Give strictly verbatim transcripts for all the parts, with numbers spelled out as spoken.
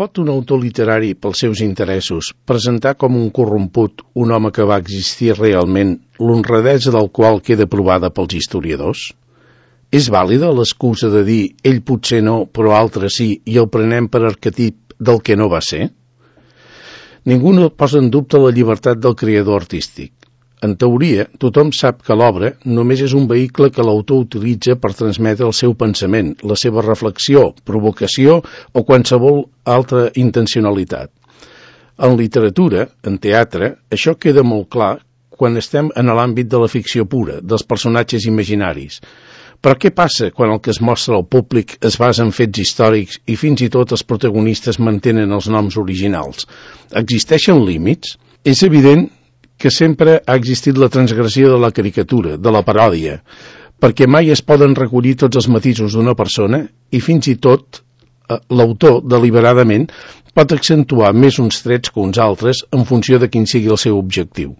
Pot un autor literari, pels seus interessos, presentar com un corromput un home que va existir realment, l'honradesa del qual queda provada pels historiadors? És vàlida l'excusa de dir ell potser no, però altres sí, i el prenem per arquetip del que no va ser? Ningú no posa en dubte la llibertat del creador artístic. En teoria, tothom sap que l'obra només és un vehicle que l'autor utilitza per transmetre el seu pensament, la seva reflexió, provocació o qualsevol altra intencionalitat. En literatura, en teatre, això queda molt clar quan estem en l'àmbit de la ficció pura, dels personatges imaginaris. Però què passa quan el que es mostra al públic es basa en fets històrics i fins i tot els protagonistes mantenen els noms originals? Existeixen límits? És evident que sempre ha existit la transgressió de la caricatura, de la paròdia, perquè mai es poden recollir tots els matisos d'una persona i fins i tot eh, l'autor, deliberadament, pot accentuar més uns trets que uns altres en funció de quin sigui el seu objectiu.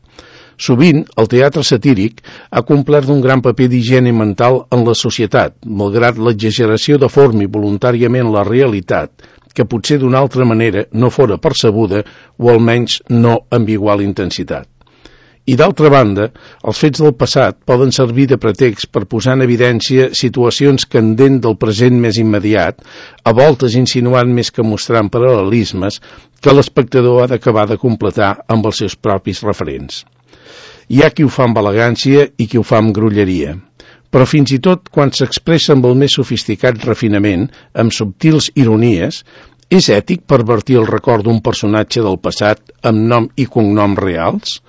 Sovint, el teatre satíric ha complert un gran paper d'higiene mental en la societat, malgrat l'exageració de forma voluntàriament la realitat, que potser d'una altra manera no fora percebuda o almenys no amb igual intensitat. I d'altra banda, els fets del passat poden servir de pretext per posar en evidència situacions candents del present més immediat, a voltes insinuant més que mostrant paral·lelismes que l'espectador ha d'acabar de completar amb els seus propis referents. Hi ha qui ho fa amb elegància i qui ho fa amb grolleria, però fins i tot quan s'expressa amb el més sofisticat refinament, amb subtils ironies, és ètic pervertir el record d'un personatge del passat amb nom i cognom reals?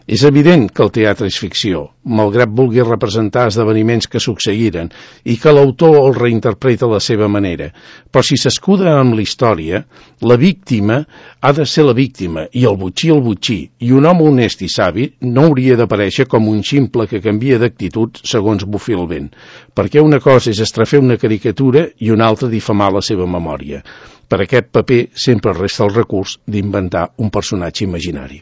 És evident que el teatre és ficció, malgrat vulgui representar esdeveniments que succeïren i que l'autor el reinterpreta a la seva manera. Però si s'escuda amb la història, la víctima ha de ser la víctima i el botxí el botxí, i un home honest i savi no hauria d'aparèixer com un ximple que canvia d'actitud segons bufi el vent, perquè una cosa és estrafer una caricatura i una altra difamar la seva memòria. Per aquest paper sempre resta el recurs d'inventar un personatge imaginari.